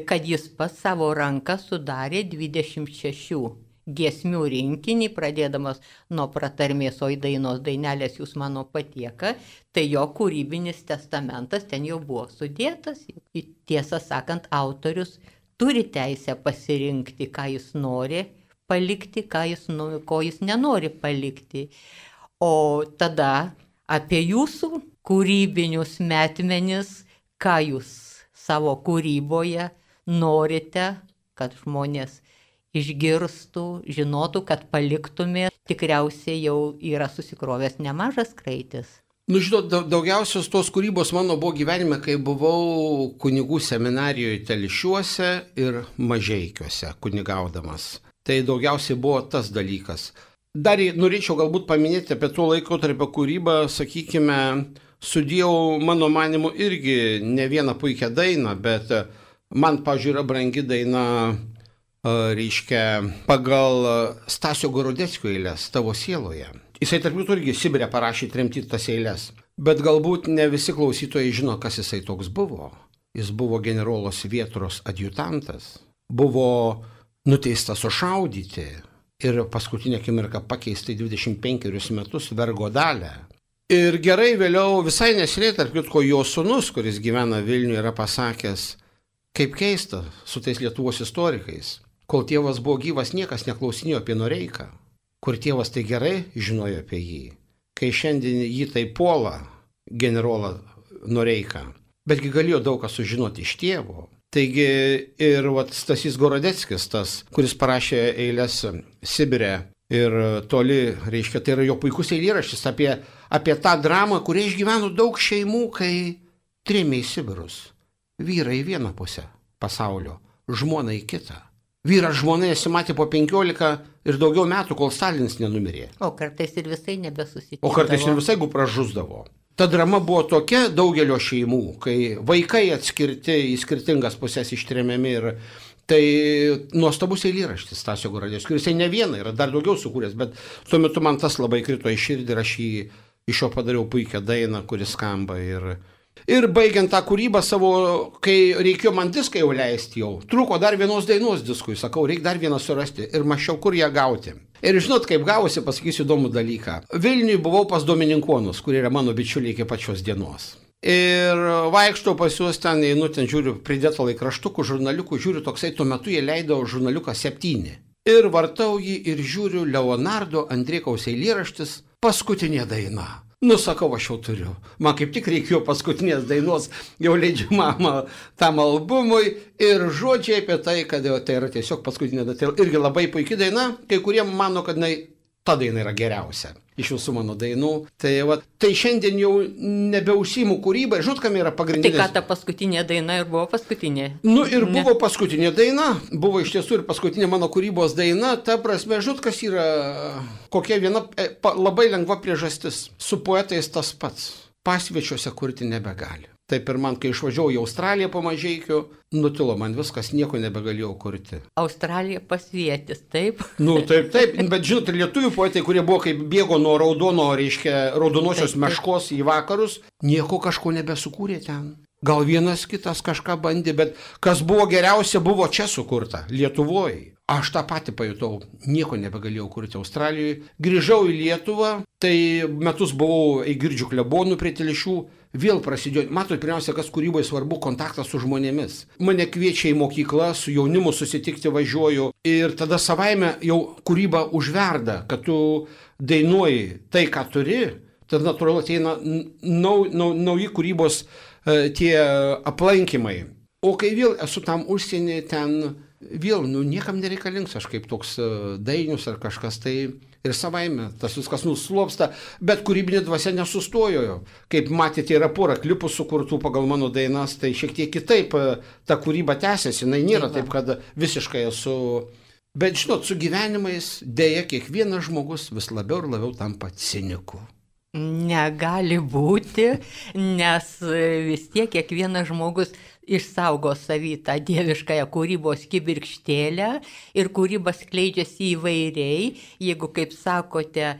kad jis pas savo ranką sudarė 26 giesmių rinkinį, pradėdamas nuo pratarmės, o į dainos dainelės jūs mano patieka, tai jo kūrybinis testamentas ten jau buvo sudėtas. Tiesą sakant, autorius turi teisę pasirinkti, ką jis nori palikti, ko jis nenori palikti. O tada apie jūsų kūrybinius metmenis, ką jūs savo kūryboje norite, kad žmonės išgirstų, žinotų, kad paliktumė, tikriausiai jau yra susikrovęs nemažas kraitis. Žinot, daugiausios tos kūrybos mano buvo gyvenime, kai buvau kunigų seminarijoje Telšiuose ir Mažeikiuose kunigaudamas. Tai daugiausiai buvo tas dalykas. Dar norėčiau galbūt paminėti apie to laikotarpio kūrybą, sakykime, sudėjau mano manimu irgi ne vieną puikią dainą, bet man, pavyzdžiui, yra brangi daina, reiškia, pagal Stasio Gorodeckio eiles Tavo sieloje. Jisai tarp jų irgi Sibire parašė tremti tas eiles. Bet galbūt ne visi klausytojai žino, kas jisai toks buvo. Jis buvo generolos Vietros adjutantas. Buvo nuteistas sušaudyti ir paskutinę akimirką pakeistai 25 metus vergo dalę. Ir gerai vėliau, visai neseniai, tarp kitko, jo sūnus, kuris gyvena Vilniuje, yra pasakęs, kaip keista su tais Lietuvos istorikais. Kol tėvas buvo gyvas, niekas neklausinėjo apie Noreiką. Kur tėvas tai gerai žinojo apie jį, kai šiandien jį tai puola generolą Noreiką, betgi galėjo daug ką sužinoti iš tėvo. Taigi ir Stasys Gorodeckis, tas, kuris parašė eiles Sibire ir toli, reiškia, tai yra jo puikus eilėraštis apie tą dramą, kurią išgyveno daug šeimų, kai trėmė į Sibirus. Vyrai į vieną pusę pasaulio, žmona į kitą. Vyras žmona nesimatė po 15 ir daugiau metų, kol Stalinas nenumirė. O kartais ir visai nebesusitikdavo. O kartais ir visai pražusdavo. Ta drama buvo tokia daugelio šeimų, kai vaikai atskirti į skirtingas pusės ištremiami ir tai nuostabus eilėraštis Stasio Gorodeckio, kuris ne vieną yra dar daugiau sukūręs, bet tuo metu man tas labai krito į širdį ir aš iš jo padariau puikią dainą, kuris skamba ir baigiant tą kūrybą savo, kai reikėjo man diską jau leisti jau, trūko dar vienos dainos diskui, sakau, reikia dar vieną surasti ir mačiau, kur ją gauti. Ir žinot, kaip gavosi, pasakysiu įdomų dalyką. Vilniuje buvau pas Domininkonus, kurie yra mano bičiuliai iki pačios dienos. Ir vaikštau pas juos ten, einu ten, žiūriu, pridėtą laikraštukų, žurnaliukų, žiūriu, toksai tuo metu jie leido žurnaliuką 7. Ir vartau jį ir žiūriu Leonardo Andriekaus eilėraštis Paskutinė daina. Sakau, aš jau turiu. Man kaip tik reikėjo paskutinės dainos, jau leidžiamam tam albumui ir žodžiai apie tai, kad tai yra tiesiog paskutinė daina. Tai irgi labai puikia daina, kai kurie mano, kad ta daina yra geriausia iš visų mano dainų. Tai šiandien jau nebeužsiimu kūrybą. Žinot, kam yra pagrindinis? Tai ką ta paskutinė daina ir buvo paskutinė? Ir buvo paskutinė daina, buvo iš tiesų ir paskutinė mano kūrybos daina. Ta prasme, žinot, kas yra, kokia viena labai lengva priežastis. Su poetais tas pats. Pasviečiuose kurti nebegali. Taip ir man, kai išvažiavau į Australiją po Mažeikių, nutilo man viskas, nieko nebegalėjau kurti. Australija pasvietis, taip? Taip, bet žinot, lietuvių poetai, kurie buvo kaip bėgo nuo raudonosios meškos į vakarus, nieko kažko nebesukūrė ten. Gal vienas kitas kažką bandė, bet kas buvo geriausia, buvo čia sukurta, Lietuvoje. Aš tą patį pajutau, nieko nebegalėjau kurti Australijoje. Grįžau į Lietuvą, tai metus buvau Eigirdžių klebonų prie Telešių, vėl prasidėjo. Matot, pirmiausia, kas kūryboje svarbu, kontaktas su žmonėmis. Mane kviečia į mokyklą, su jaunimu susitikti važiuoju ir tada savaime jau kūryba užverda, kad tu dainuoji tai, ką turi, tada natūralu ateina nauji kūrybos tie aplankymai. O kai vėl esu tam užsienį, ten vėl, niekam nereikalingas aš kaip toks dainius ar kažkas, tai ir savaime tas viskas nuslopsta, bet kūrybinė dvasia nesustojo. Kaip matėte, yra pora klipų sukurtų pagal mano dainas, tai šiek tiek kitaip ta kūryba tęsiasi, jinai nėra taip, kad visiškai esu. Bet žinot, su gyvenimais dėja kiekvienas žmogus vis labiau ir labiau tampa ciniku. Negali būti, nes vis tiek kiekvienas žmogus išsaugo savį tą dieviškąją kūrybos kibirkštėlę ir kūryba skleidžiasi įvairiai, jeigu, kaip sakote,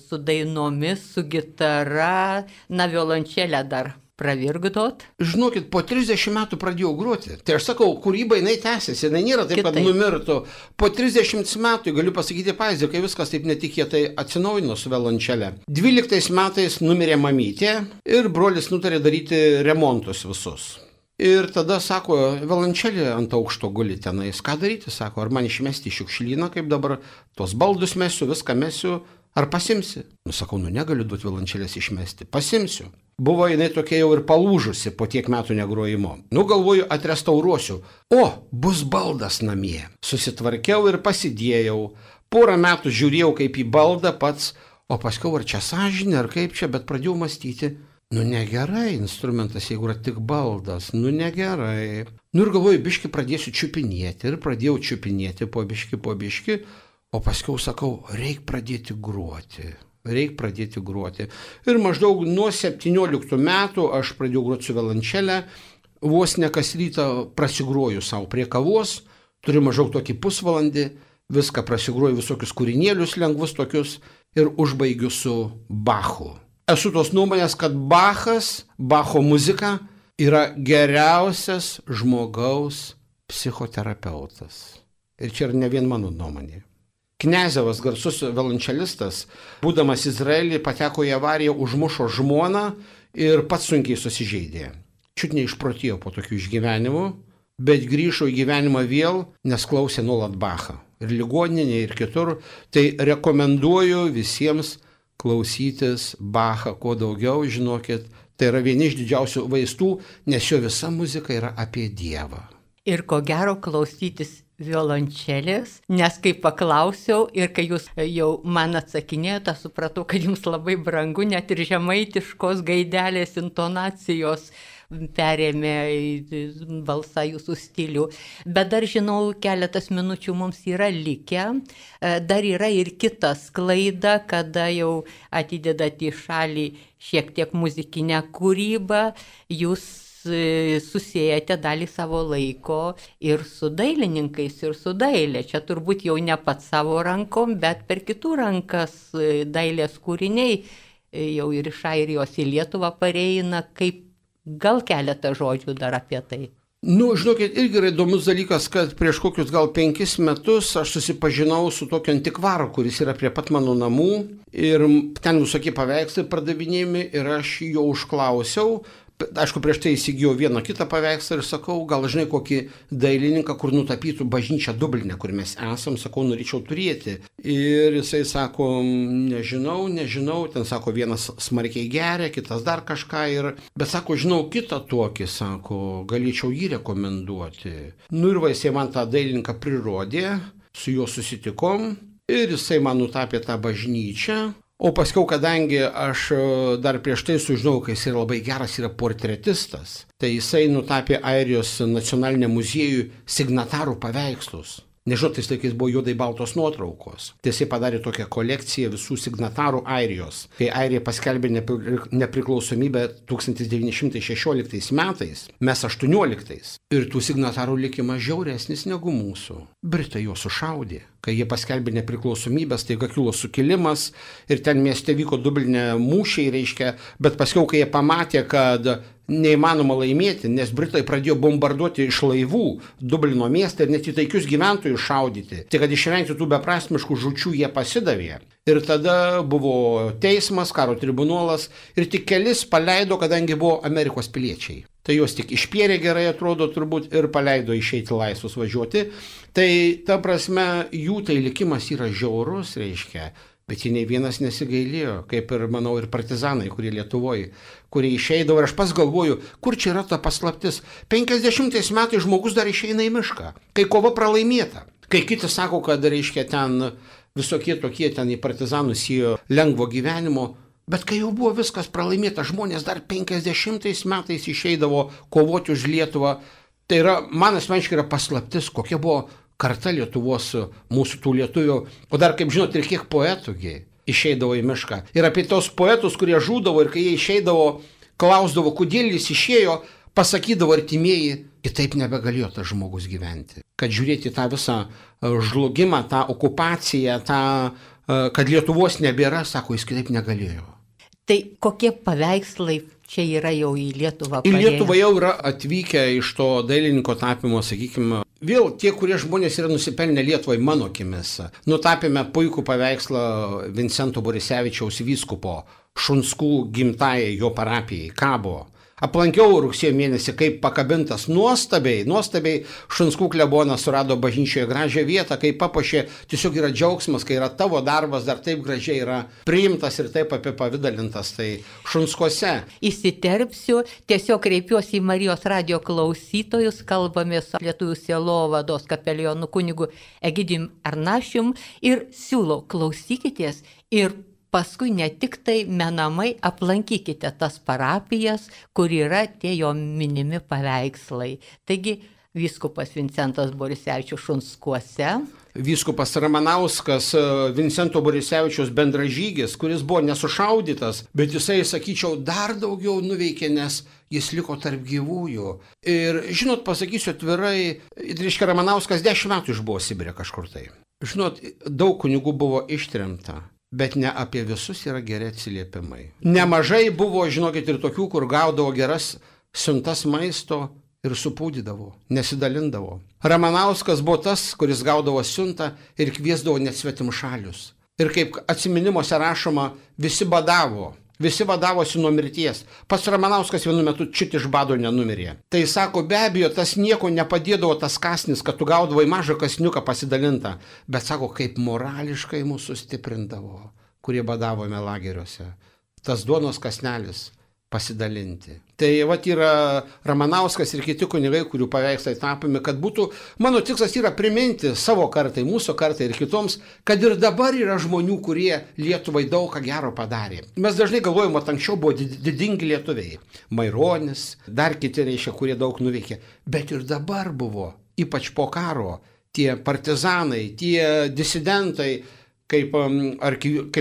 su dainomis, su gitara, violončelę dar pravirkdot. Žinokit, po 30 metų pradėjau groti. Tai aš sakau, kūryba jinai tęsiasi, jinai nėra taip, kad numirtų. Po 30 metų, galiu pasakyti pavyzdį, kai viskas taip netikėtai atsinaujino su violončelė. 12 metais numirė mamytė ir brolis nutarė daryti remontus visus. Ir tada sako, violončelė ant aukšto guli tenais. Ką daryti, sako, ar man išmesti į šiukšlyną, kaip dabar tos baldus mesiu, viską mesiu, ar pasimsi? Sakau, negaliu duoti violončelės išmesti, pasimsiu. Buvo jinai tokia jau ir palūžusi po tiek metų negrojimo. Galvoju, atrestauruosiu. O, bus baldas namie. Susitvarkiau ir pasidėjau. Porą metų žiūrėjau kaip į baldą pats, o paskiau ar čia sąžinė, ar kaip čia, bet pradėjau mąstyti. Negerai instrumentas, jeigu yra tik baldas, negerai. Ir galvoju, biški pradėsiu čiupinėti. Ir pradėjau čiupinėti po biški, o paskiau sakau, reik pradėti gruoti. Ir maždaug nuo 17 metų aš pradėjau groti su violončelė, vos ne kas rytą prasigroju savo prie kavos, turiu maždaug tokį pusvalandį, viską prasigroju visokius kūrinėlius lengvus tokius ir užbaigiu su Bachu. Esu tos nuomonės, kad Bacho muzika yra geriausias žmogaus psichoterapeutas. Ir čia yra ne vien mano nuomonė. Kniazevas, garsus violončelistas, būdamas Izraelyje, pateko į avariją, užmušo žmoną ir pats sunkiai susižeidė. Čiut neišprotėjo po tokių išgyvenimų, bet grįžo į gyvenimą vėl, nes klausė nuolat Bachą. Ir ligoninėje, ir kitur. Tai rekomenduoju visiems klausytis Bachą kuo daugiau, žinokit. Tai yra vieni iš didžiausių vaistų, nes jo visa muzika yra apie Dievą. Ir ko gero klausytis violončelės, nes kai paklausiau ir kai jūs jau man atsakinėjote, supratau, kad jums labai brangu, net ir žemaitiškos gaidelės intonacijos perėmė balsą jūsų stilių. Bet dar žinau, keletas minučių mums yra likę, dar yra ir kita sklaida, kada jau atidedate į šalį šiek tiek muzikinę kūrybą, jūs susijęte dalį savo laiko ir su dailininkais, ir su dailė. Čia turbūt jau ne pats savo rankom, bet per kitų rankas dailės kūriniai jau ir iš Airijos į Lietuvą pareina. Kaip gal keletą žodžių dar apie tai? Žinokit, irgi yra įdomus dalykas, kad prieš kokius gal 5 metus aš susipažinau su tokiu antikvaru, kuris yra prie pat mano namų ir ten visokie paveikslai pardavinėjami ir aš jo užklausiau. Aišku, prieš tai įsigijau vieną kitą paveikslą ir sakau, gal žinai kokį dailininką, kur nutapytų bažnyčią Dubline, kur mes esam, sakau, norėčiau turėti. Ir jisai sako, nežinau, ten sako, vienas smarkiai geria, kitas dar kažką, bet sako, žinau kitą tokį, sako, galėčiau jį rekomenduoti. Ir jisai man tą dailininką prirodė, su juo susitikom ir jisai man nutapė tą bažnyčią. O paskiau, kadangi aš dar prieš tai sužinau, kad jis yra labai geras, yra portretistas, tai jisai nutapė Airijos nacionaliniam muziejui signatarų paveikslus. Nežinau, tais laikais buvo juodai baltos nuotraukos. Tiesiai padarė tokią kolekciją visų signatarų Airijos. Kai Airija paskelbė nepriklausomybę 1916 metais, mes 18. Ir tų signatarų likimas žiauresnis negu mūsų. Britai juos sušaudė. Kai jie paskelbė nepriklausomybę, staiga kilo sukilimas ir ten mieste vyko Dubline mūšiai, reiškia, bet paskiau, kai jie pamatė, kad neįmanoma laimėti, nes Britai pradėjo bombarduoti iš laivų Dublino miestą ir net į taikius gyventojus šaudyti. Tai kad išvengti tų beprasmiškų žūčių jie pasidavė. Ir tada buvo teismas, karo tribunolas ir tik kelis paleido, kadangi buvo Amerikos piliečiai. Tai juos tik išpėrė gerai atrodo turbūt ir paleido išeiti laisvus važiuoti. Tai ta prasme jų tai likimas yra žiaurus, reiškia. Bet jie nei vienas nesigailėjo, kaip ir, manau, ir partizanai, kurie Lietuvoje, kurie išeidavo. Ir aš pats galvoju, kur čia yra ta paslaptis. 50 metais žmogus dar išeina į mišką, kai kova pralaimėta. Kai kiti sako, kad, reiškia, ten visokie tokie ten į partizanus įėjo lengvo gyvenimo. Bet kai jau buvo viskas pralaimėta, žmonės dar 50 metais išeidavo kovoti už Lietuvą. Tai yra, man asmeniškai yra paslaptis, kokia buvo karta Lietuvos, mūsų tų lietuvių, o dar, kaip žinot, ir kiek poetų išeidavo į mišką. Ir apie tos poetus, kurie žūdavo ir kai jie išeidavo, klausdavo, kodėl jis išėjo, pasakydavo artimieji, kitaip nebegalėjo tas žmogus gyventi. Kad žiūrėti tą visą žlugimą, tą okupaciją, kad Lietuvos nebėra, sako, jis kitaip negalėjo. Tai kokie paveikslai čia yra jau į Lietuvą? Į Lietuvą jau yra atvykę iš to dailininko tapimo, sakykime, vėl tie, kurie žmonės yra nusipelnę Lietuvai mano akimis. Nutapėme puikų paveikslą Vincento Borisevičiaus vyskupo Šunskų gimtajai jo parapijai, Kabo. Aplankiau rugsėjo mėnesį, kaip pakabintas nuostabiai Šunskų klebonas surado bažnyčioje gražią vietą, kaip papuošė, tiesiog yra džiaugsmas, kai yra tavo darbas dar taip gražiai yra priimtas ir taip apipavidalintas, tai Šunskuose. Įsiterpsiu, tiesiog kreipiuosi į Marijos radijo klausytojus, kalbame su Lietuvių sielovados kapelionu kunigu Egidijum Arnašium ir siūlau klausykitės ir paskui ne tik tai menamai aplankykite tas parapijas, kur yra tie jo minimi paveikslai. Taigi, vyskupas Vincentas Borisevičius Šunskuose. Vyskupas Ramanauskas, Vincento Borisevičiaus bendražygis, kuris buvo nesušaudytas, bet jisai, sakyčiau, dar daugiau nuveikė, nes jis liko tarp gyvųjų. Ir, žinot, pasakysiu atvirai, reiškia, Ramanauskas 10 metų išbuvo Sibire kažkur tai. Žinot, daug kunigų buvo ištremta. Bet ne apie visus yra geri atsiliepimai. Nemažai buvo, žinokit, ir tokių, kur gaudavo geras siuntas maisto ir supūdydavo, nesidalindavo. Ramanauskas buvo tas, kuris gaudavo siuntą ir kviesdavo net svetimšalius. Ir kaip atsiminimuose rašoma, visi badavosi nuo mirties. Pats Ramanauskas vienu metu čit iš bado nenumirė. Tai sako, be abejo, tas nieko nepadėdavo tas kasnis, kad tu gaudavai mažą kasniuką pasidalintą. Bet sako, kaip morališkai mūsų stiprindavo, kurie badavome lageriuose. Tas duonos kasnelis pasidalinti. Tai vat yra Ramanauskas ir kiti kunigai, kurių paveikslai tapomi, kad būtų, mano tikslas yra priminti savo kartai, mūsų kartai ir kitoms, kad ir dabar yra žmonių, kurie Lietuvai daug ką gero padarė. Mes dažnai galvojame, kad anksčiau buvo didingi lietuviai. Maironis, dar kiti reiškia, kurie daug nuveikė. Bet ir dabar buvo, ypač po karo, tie partizanai, tie disidentai, kaip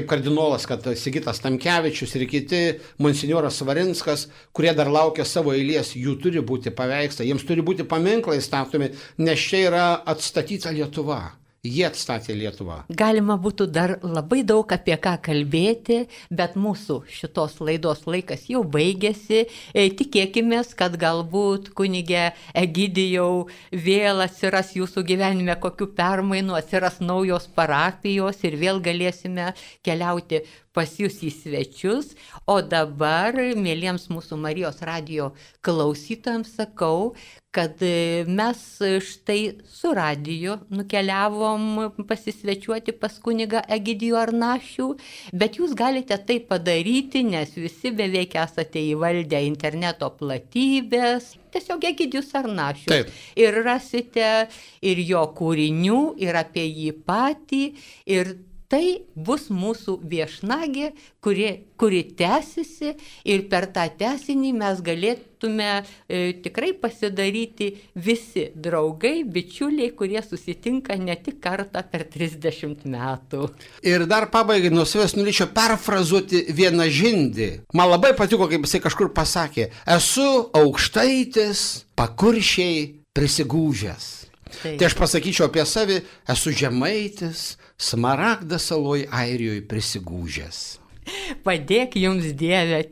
kardinolas, kad Sigitas Tamkevičius ir kiti, monsinjoras Svarinskas, kurie dar laukia savo eilės, jų turi būti paveikslai, jiems turi būti paminklai statomi, nes čia yra atstatyta Lietuva. Jie atstatė Lietuvą. Galima būtų dar labai daug apie ką kalbėti, bet mūsų šitos laidos laikas jau baigėsi. Tikėkime, kad galbūt kunige Egidijau vėl atsiras jūsų gyvenime kokių permainų, atsiras naujos parapijos ir vėl galėsime keliauti pas jūs į svečius. O dabar, mėlyms mūsų Marijos radijo klausytojams sakau, kad mes štai su radiju nukeliavom pasisvečiuoti pas kunigą Egidijų Arnašių, bet jūs galite tai padaryti, nes visi beveik esate įvaldę interneto platybės. Tiesiog Egidijus Arnašius. Taip. Ir rasite ir jo kūrinių, ir apie jį patį, ir tai bus mūsų viešnagė, kuri tęsiasi ir per tą tęsinį mes galėtume tikrai pasidaryti visi draugai, bičiuliai, kurie susitinka ne tik kartą per 30 metų. Ir dar pabaigai nuo savęs norėčiau perfrazuoti vieną žindį. Man labai patiko, kaip jisai kažkur pasakė, esu aukštaitis, pakuršiai prisigūžęs. Tai aš pasakyčiau apie savį, esu žemaitis, Smaragdą saloj Airijoje prisigūžęs. Padėk jums Dieve.